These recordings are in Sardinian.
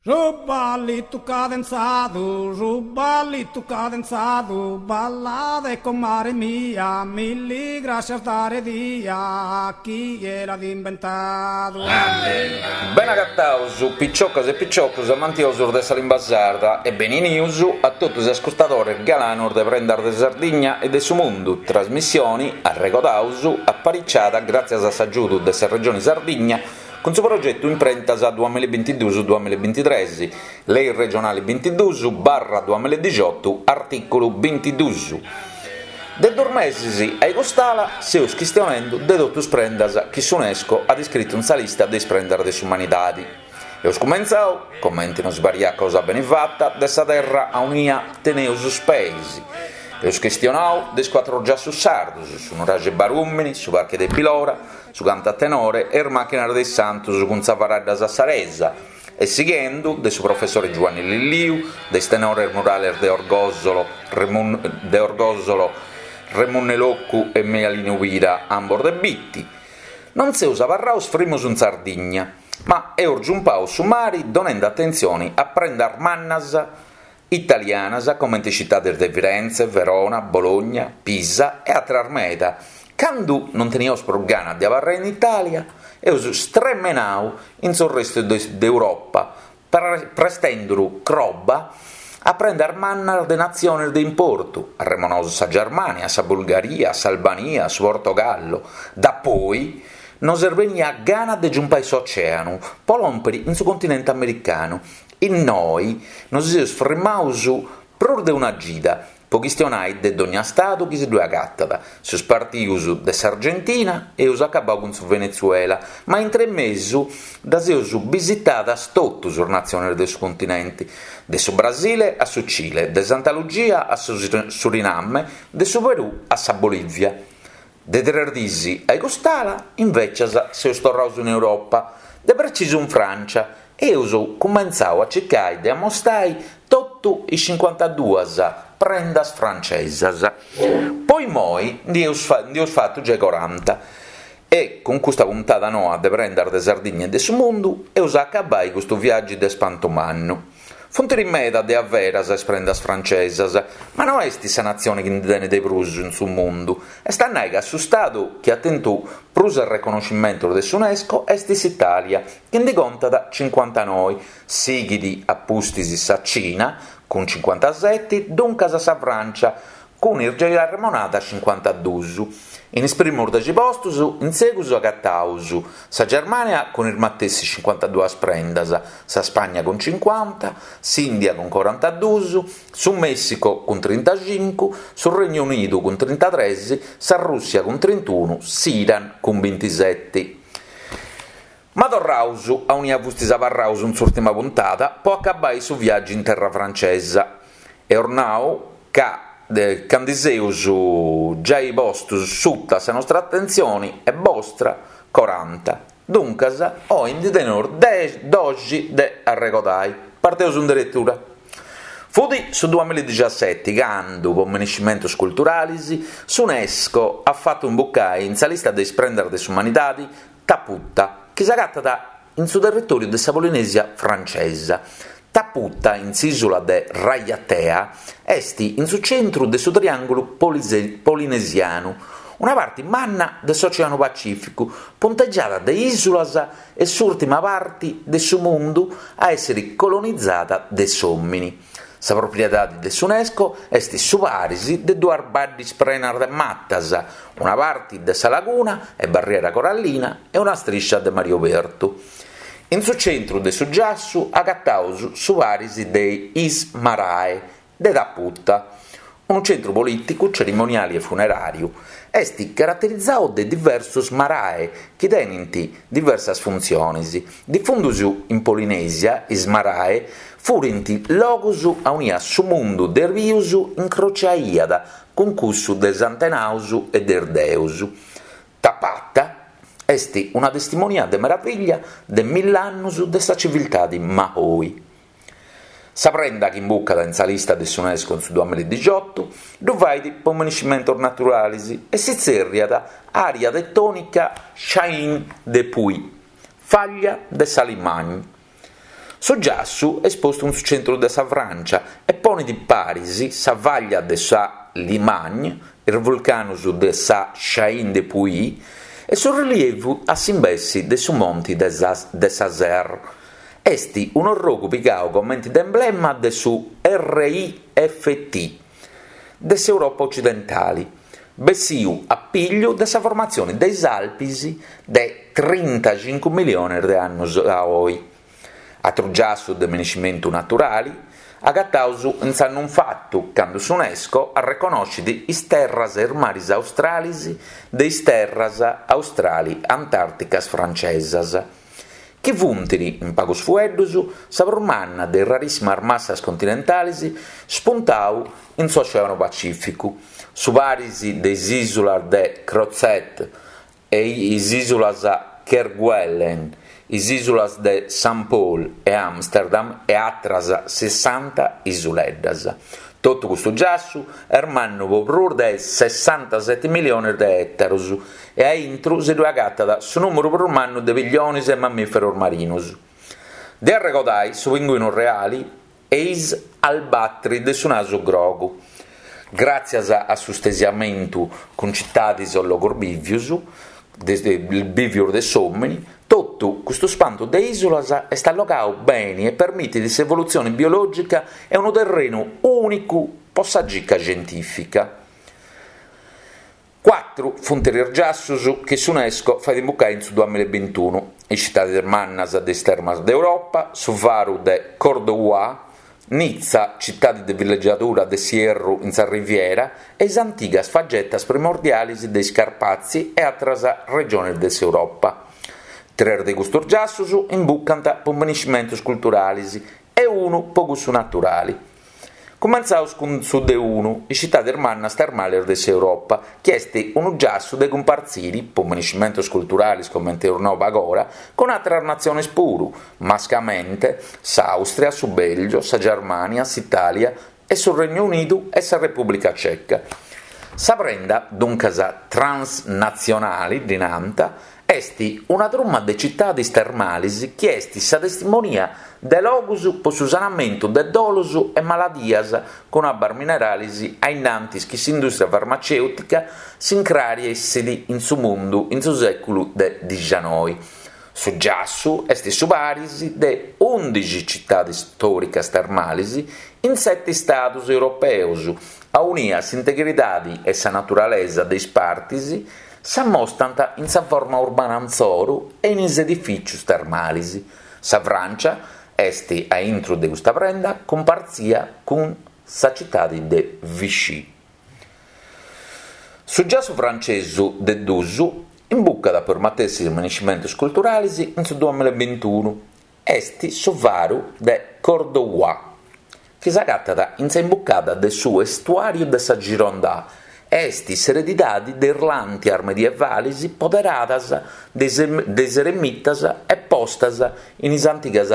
Su ballitu cadenzadu, su ballitu cadenzadu, ballade comare mia, milli grascias dare dia, chie l'at imbentadu. Benagataus, piciocas e piciocus amantiosus de sa limba sarda e beninius a totus is ascurtadores galanus de Prendas de Sardigna e de su Mundu, trasmissioni, arregodaus, apariciada gràtzias a s'agiudu de sa Regioni Sardigna Cun su progetu Imprentas duamillabintiduus duamillabintitres, Lei regionali bintiduus barra duamilladixotu, artìculu bintiduus. De duus mesis a cust'ala seus chistionendu de totu is prendas chi s'Unesco at iscritu in sa lista de is prendas de s'umanidadi. Eus cumentzau, comenti nos pariat cosa beni fata, de sa terra aunia teneus is peis. Eus chistionau de is cuatru giassus sardus, su nuraxi Barùmini, su parchi de Bilora, su cantu a tenore e is màchinas de is santus cun sa faradda sassaresa, e sighendu de su professore Giuanni Lilliu, de is tenores murales de Orgòsolo de Orgòsolo Remunne Locu e Mialinu Pira, ambos de Bitti. Non seus abarraus frimus in Sardigna, ma eus giumpau su mari donendu atentzioni a prendas mannas italianas comente is citades de Firenze, Verona, Bologna, Pisa e àteras meda. Candu non teniaus prus gana de abarrai in Itàlia, eus stremenau in s'orrestu de Europa, prestenduru croba a prendas mannas de natziones de importu, arremonaus sa Germània, sa Bulgaria, s'Albania, su Portogallo. Dapoi nos est benia gana de giumpai s'oceanu po lòmpiri in su continente americanu Innoi nos seus frimaus prus de una cida po chistionai de dogna stadu chi si ddue agatat, seus partius de s'Argentina e eus acabau cun su Venezuela, ma intre mesu ddas eus bisitadas totus is natziones de su continenti, de su Brasile a su Cile, de Santa Lugia a su Suriname, de su Perù a sa Bolivia. De tres dis a cust'ala, invecias, seus torraus in Europa, de precisu in Francia, e eus cumentzau a circai de amostai totu is cincuantaduas prendas francesas. Po immoi ndi eus ndi eus fatu giai coranta e cun custa puntada noa de Prendas de Sardigna e de su Mundu eus a acabai custu viàgiu de spantu mannu. Funt meda de averas is prendas francesas, ma no est sa natzione chi ndi tenet de prus in su mundu, est a nai ca su stadu chi at tentu prus arreconnoscimentos de s'Unesco est s'Italia, chi ndi contat cincuantanoi, sighit a pustis sa Cina cun cincuantaseti, duncas sa Francia cun is giai arremonadas cincuantadus. In is primus dexi postus in segus agataus sa Germania cun is matessi cincuantaduas prendas, sa Spagna cun cincuanta, s'India cun corantadus, su Messico cun trintacincu, su Regnu Unidu cun trintatres, sa Russia cun trintunu, s'Iran cun bintiseti. Ma torraus a aunia fustis abarraus in s'urtima puntada po acabai su viàgiu in terra francesa. Eus nau ca ca ndi seus giai postus suta sa nostra atentzioni e bostra coranta, duncas oi ndi teneus doxi de arregodai. Parteus in deretura. Fut su duamilladixiaseti candu, po minescimentus culturalis, s'Unesco at fatu imbucai in sa lista de is prendas de s'umanidadi Taputa, chi s'agatat in su territòriu de sa Polinèsia francesa. Taputa, in s'ìsula de Raiatea, est in su centru de su triàngulu polinesianu, una parti manna de s'Oceanu Pacìficu, puntegiada de ìsulas e s'ùrtima parti de su mundu a èssere colonizada de s'òmini. Sa propriedade de s'Unesco est su paris de duas baddes prenas de matas, una parti de sa laguna e barriera corallina e una striscia de mari obertu. In su centru de su giassu agataus su paris de is Marae de Taputa, unu centru polìticu, cerimoniali e funeràriu. Est caraterizadu de diversos marae chi tenint diversas funtziones. Difùndius in Polinèsia, is marae furint logus aunia su mundu de is bius incrociaiat cun cussu de is antenaus e de is deus. Tapata est una testimonia de meraviglia de mill'annus de sa civiltadi Maohi. Sa prenda chi imbucat in sa lista de s'Unesco in su duamilladixiotu ddu fait po minescimentos naturalis e si tzerriat Area Tetonica Chaîne des Puys, faglia de sa Limagne. Su giassu est postu in su centru de sa Frància e ponit paris sa fàglia de sa Limagne, is vulcanus de sa Chaîne des Puys e su rilievu a s'imbessi de su monti de sa Serre. Est un'orrogu pigau comenti de emblema de su RIFT de s'Europa Ocidentali, bessiu a pigliu de sa formatzioni de is Alpis de trintacincu milionis de annus a oi. Atru giassu de minescimentu naturali agataus in s'annu infatu, candu s'Unesco arreconoscit is terras e is maris australis de is terras australi-antàrticas francesas. chi funt, in pagus fueddus, sa prus manna de is rarissimas massas continentalis spuntau in s'Oceanu Pacìficu, su paris de is ìsulas de Crozet e is ìsulas Kerguelen, is ìsulas de Saint Paul e Amsterdam e atras sessanta isuleddas. Totu custu giassu est mannu po prus de sessantaseti milionis de ètarus e a intru si ddue agatat su nùmeru prus mannu de pillionis e mammìferos marinus. De arregodai su pinguinu reali e is albatri de su nasu grogu. Gràtzias a su stesiamentu cun citadis o logus bìvius, bìvius de s'òmini, totu custu spantu de ìsulas est allogau beni e permitit s'evolutzioni biològica e unu terrenu ùnicu po sa gica scientìfica. Cuatru funt is giassus chi s'Unesco fait imbucai in su duamilla e bintunu, is citadis mannas de is termas de Europa, su faru de Cordoua, Nitza, citadi de villeggiadura de s'ierru in sa Riviera, e is antigas fagetas primordialis de is Carpazi e atras regionis de s'Europa. Tres de custus giassus imbucant po minescimentus culturalis e unu po cussu naturali. Cumentzaus cun su de unu, is citadis mannas termales de s'Europa, chi est unu giassu de cumpartziri, po minescimentos culturalis comente eus nau pagora, cun àteras natziones puru, mascamente s'Àustria, su Bèlgio, sa Germània, s'Itàlia e su Regnu Unidu e sa Repùblica Ceca. Sa prenda, duncas transnatzionali, ddi nant, Est una truma de citadis termalis chi est sa testimonia de logus po su sanamentu de dolus e maladias cun abbas mineralis a innantis chi s'indùstria farmacèutica s'incrariessit in su mundu in su sèculu de dixianoi. Su giassu est su paris de ùndixi citadis stòricas termalis in seti istadus europeus, aunia s'integridadi e sa naturalesa de is partis S'ammostant in sa forma urbana intzoru e in is edifìcius termalis. Sa Frància est a intru de custa prenda cumpartzia cun sa citadi de Vichy. Su giassu francesu de dus imbucat po is matessis minescimentus culturalis in su duamilla e bintunu. Est su faru de Cordoua, chi s'agatat in sa imbucada de su estuàriu de sa Gironda e est s'eredidade de is làntias medievalis poderadas de is eremitas e postas in is antigas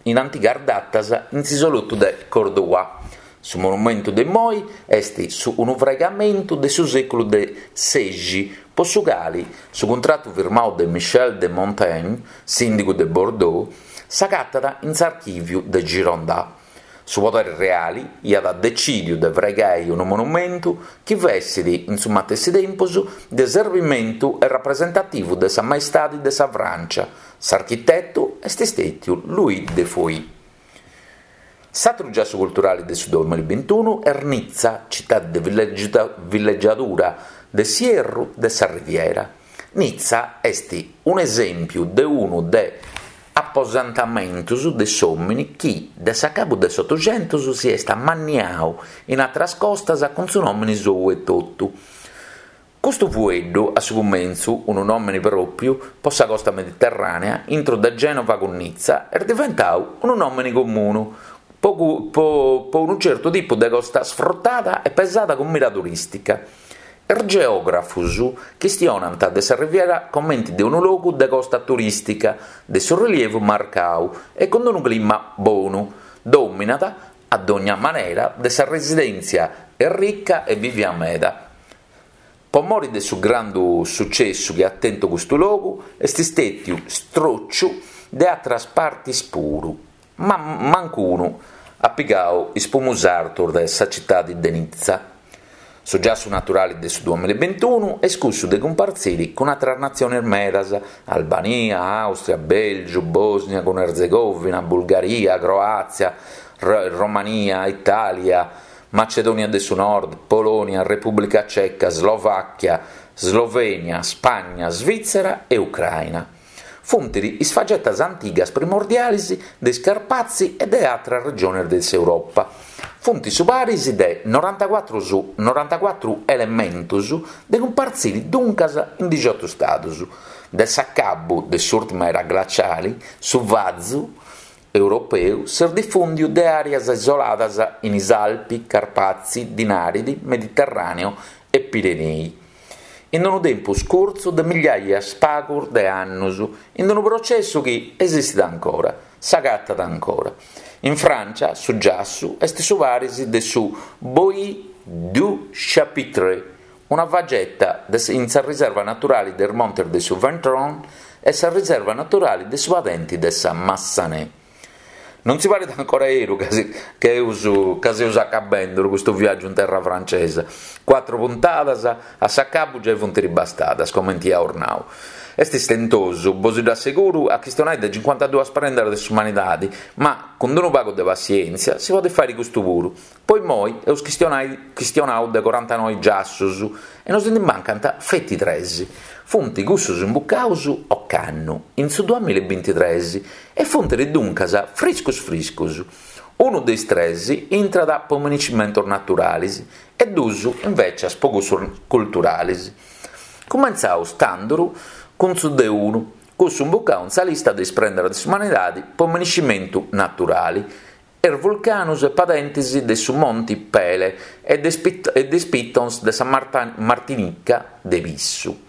in antigas datas in s'isolotu de Cordoua. Su monumentu de immoi est su unu fraigamentu de su sèculu de sexi, po su cali su cuntratu firmau de Michel de Montaigne, sìndigu de Bordeaux, s'agatat in s'archìviu de Gironda. Su poderi reali iat decìdiu de fraigai unu monumentu chi fessit in su matessi tempus de serbimentu e rapresentativu de sa maestadi de sa Frància. S'architetu est stètiu Louis de Foix. S'atru giassu culturali de su duamilla e bintunu est Nitza, citadi de villeggiadura de s'ierru de sa Riviera. Nitza est un'esèmpiu de unu de aposentamentus de s'òmini chi de s'acabu de s'Otuxentus si est amanniau in atras costas cun su nòmini sou etotu. Custu fueddu, a su cumentzu, unu nòmini pròpiu po sa costa mediterrànea intru de Gènova cun Nitza, est diventau unu nòmini comunu po po unu certu tipu de costa sfrutada e pesada cun mira turìstica. Is geògrafus chistionant de sa Riviera comenti de unu logu de costa turìstica de su rilievu marcau e cun unu clima bonu, dominat a dogna manera de sa residèntzia errica e bivia meda. Po mori de su grandu sucessu chi at tentu custu logu, est stètiu stròciu de atras partis puru. Ma mancunu at pigau is primus artus de sa citadi de Nizza. Su giassu naturali de su duamilla e bintunu est cussu de cumpartziri cun atras natzionis medas, Albania, Àustria, Bèlgiu, Bòsnia cun Erzegovina, Bulgaria, Croàtzia, Romania, Itàlia, Macedònia de su Nord, Polònia, Repùblica Ceca, Slovàchia, Slovènia, Spagna, Svìtzera e Ucraina. Funt is fagetas antigas primordialis de is Carpatzi e de atras regionis de s'Europa. Funt su paris de norantacuatru elementus de cumpartziri duncas in dixiotu stadus. De s'acabu de s'ùrtima era glaciali, su vazu europeu s'est difùndiu de àreas isoladas in is Alpi, Carpatzi, Dinaridi, Mediterràneu e Pirenei. In unu tempus curtzu de migliaias pagus de annus, in unu processu chi esistit ancora, s'agatat ancora. In Frància su giassu est su paris de su Bois du Chapitre, una fageta in sa riserva naturali de is montes de su Ventron e sa riserva naturali de su padenti de sa Massanet. Non si parit ancora 'eru ca ca eus ca seus acabendu custu viàgiu in terra francesa. Cuatru puntadas a s'acabu giai funt ribastadas, comenti iaus nau. Est istentosu, bos ddu asseguru, a chistionai de cincuantaduas prendas de s'umanidadi, ma cun d'unu pagu de passièntzia si podit fàiri custu puru. Po immoi eus chistionai chistionau de corantanoi giassus e nos ndi mancant feti tres. Funt cussus imbucaus ocannu, in su duamilla e bintitres, e funt duncas friscus friscus. Unu de is tres intrat po miniscimentus naturalis e dus invècias po cussus culturalis. Cumentzaus tanduru cun su de unu, cussu imbucau in sa lista de is prendas de s'umanidadi po miniscimentu naturali is vulcanus e padentis de su Monti Pele e de is pitons de sa Martinica de Pissu.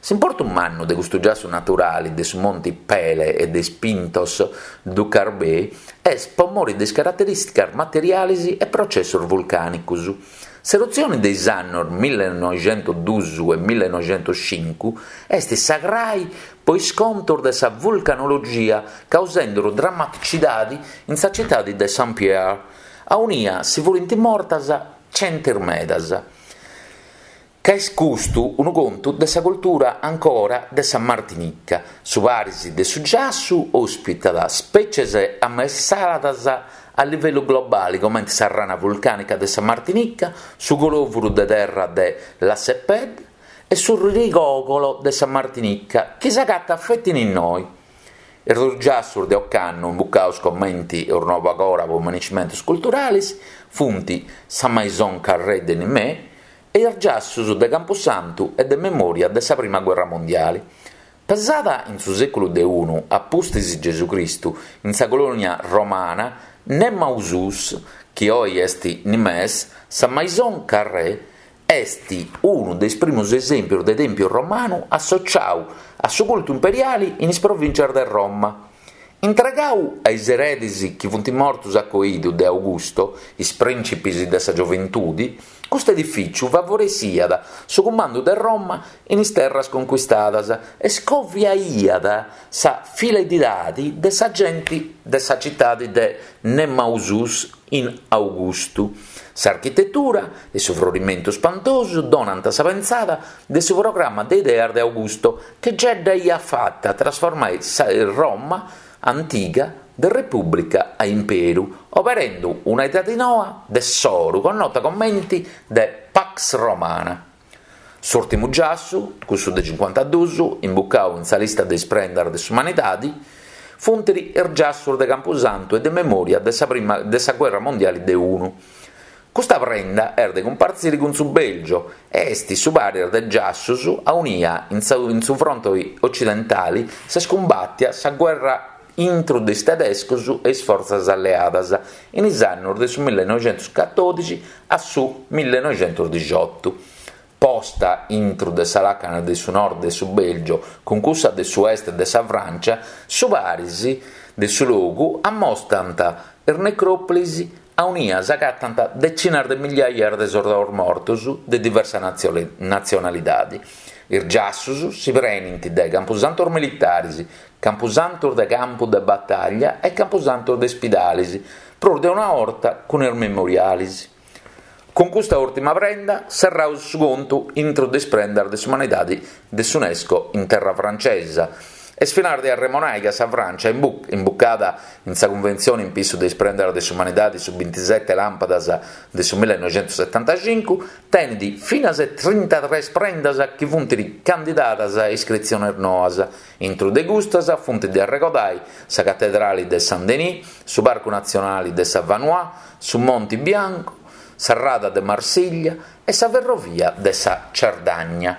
S'importu mannu de custu giassu naturali de su Monti Pele e de is Pintos du Carbet est po mori de is caraterìsticas materialis e processus vulcànicus. S'erutzioni de is annos millenoixentosdus e millenoixentoscincu est sa crai po is contos de sa vulcanologia causendu drammaticidadi in sa citadi de Saint-Pierre, aunia si furint mortas gentis medas. Ca est custu unu contu de sa cultura ancora de sa Martinica, su paris de su giassu ospitat spècies amessadas a livellu globali comente sa rana vulcànica de sa Martinica, su colòvuru de terra de Lacépède e su rigògolo de sa Martinica chi s'agatat feti in innoi. Is dus giassus de ocannu imbucaus comenti eus nau pagora po miniscimentus culturalis funt sa Maison Carrée de Nimes e is giassus de Campusantu e de memòria de sa Prima Guerra Mondiali. Pesada in su sèculu de unu a pustis Gesù Cristu in sa colònia romana Nemausus, chi oi est Nimes, sa Maison Carrée est unu de is primus esèmpios de tèmpiu romanu associau a su cultu imperiali in is provìntzias de Roma. Intregau a is eredis chi funt mortus a coidu de Augusto, is prìncipis de sa gioventudi, custu edifìciu favoressiat su cumandu de Roma in is terras conquistadas e scoviaiat sa fidelidadi de sa genti de sa citadi de Nemausus in Augustu. S'architetura e su frorimentu spantosu donant sa pentzada de su programma de ideas de Augusto chi giai dda iat fata trasformai sa Roma antiga de repùblica a imperu, oberendu una edadi noa de s'oru connota comenti de Pax Romana. S'ùrtimu giassu, cussu de cincuantadus, imbucau in sa lista de is prendas de s'umanidadi, funt is giassus de Campusantu e de memòria de sa prima de sa Guerra Mondiali de unu. Custa prenda est de cumpartziri cun su Bèlgio e est su paris de giassus aunia in su fronte ocidentali s'est cumbàtia sa guerra intru de is tedescos e is fortzas alleadas in is annos de su millenoixentoscatòdixi a su millenoixentosdixotu. Posta intru de sa làcana de su nord de su Bèlgio cun cussa de su est de sa Frància, su paris de su logu ammostant is necròpolis. aunia s'agatant decinas de migliaias de sordaus mortus de diversa natzionalidadi. Is giassus si prenint de campusantus militaris, campusantus de campu de bataglia e campusantus de ispidalis, prus de una 'orta cun is memorialis. Cun custa ùrtima prenda serraus su contu intru de is prendas de s'umanidadi de s'Unesco in terra francesa. Est finas de arremonai ca sa Francia, imbucada in sa cunventzioni in pissu de is prendas de s'umanidadi su bintisete làmpadas de su millenoixentusetantacincu, tenit finas e trintatres prendas chi funt candidadas a iscritziones noas. Intru de custas funt de arregodai sa catedrali de Saint-Denis, su parcu natzionali de sa Vanoise, su Monti Biancu, sa rada de Marsiglia e sa ferrovia de sa Cerdagna.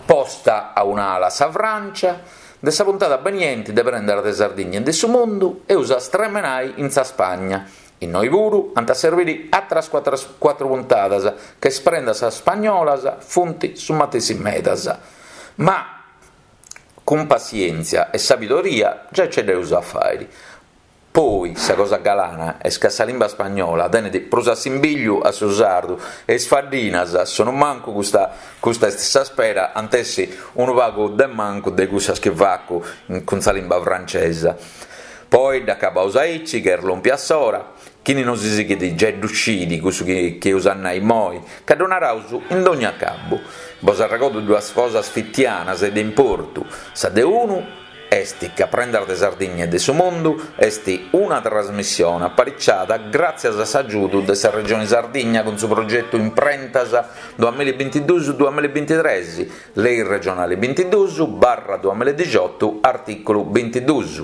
Posta a un'ala sa Frància, de sa puntada benienti de Prendas de Sardigna e de su Mundu eus a stremenai in sa Spagna. Innoi puru ant a serbiri atras cuatru puntadas, ca is prendas spagnolas funt su matessi medas. Ma cun passièntzia e sabidoria giai ce dd'eus a fàiri. Poi sa cosa galana est ca sa limba spagnola tenet prus assimbigliu a su sardu e is faddinas, sonumancu custa custa est sa spera, ant essi unu pagu de mancu de cussas chi facu cun sa limba francesa. Poi dd'acabaus aici ca est lòmpia s'ora, chini nosi sighit giai ddu scit cussu chi eus a nai immoi, ca ddu naraus in dogna acabu. Bos arregodu duas cosas fitianas e de importu, sa de unu, est ca Prendas de Sardigna e de su Mundu est una trasmissione apariciada gràtzias a s'agiudu de sa Regione Sardigna cun su progetu Imprentas duamillabintiduus duamillabintitres, Lei regionale bintiduus barra duamilladixotu artìculu bintiduus.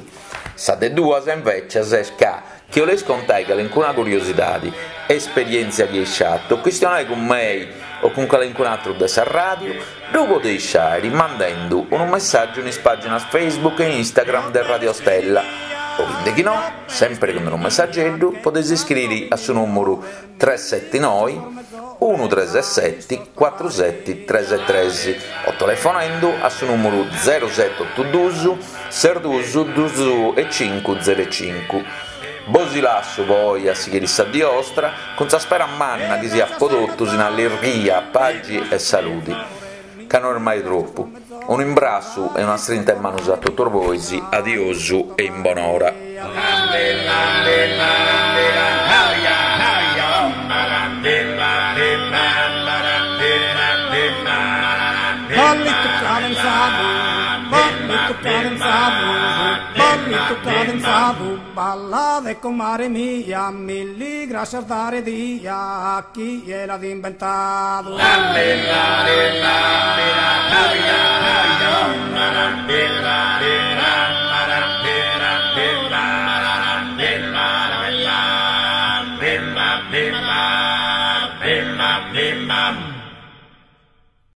Sa de duas invècias est ca chi 'oleis contai calincuna curiosidadi, esperièntzia chi eis fatu o chistionai cun mei o cun calincun'atru de sa ràdiu, ddu podeis fàiri mandendu unu messàgiu in is pàginas Facebook e Instagram de Radio Stella o chindecchinò, sèmpiri cun unu messageddu, podeis iscriri a su nùmuru tresetinoi unu treseseti cuatru seti tresetres o telefonendu a su nùmuru zeroset'otu dus ses dus dus e cincu zero cincu. Bosi lassu po oi a sighiri sa dì 'ostra cun sa spera manna chi siat po totus in allirghia, pagi e saludi, ca no est mai tropu. Unu imbrassu e una strinta 'e manus a totus bois, adiosu e in bonora. Ballitu cadenzadu, ballitu cadenzadu, ballitu cadenzadu, ballade comare mia, milli grascias dare dia, chie l'at imbentadu.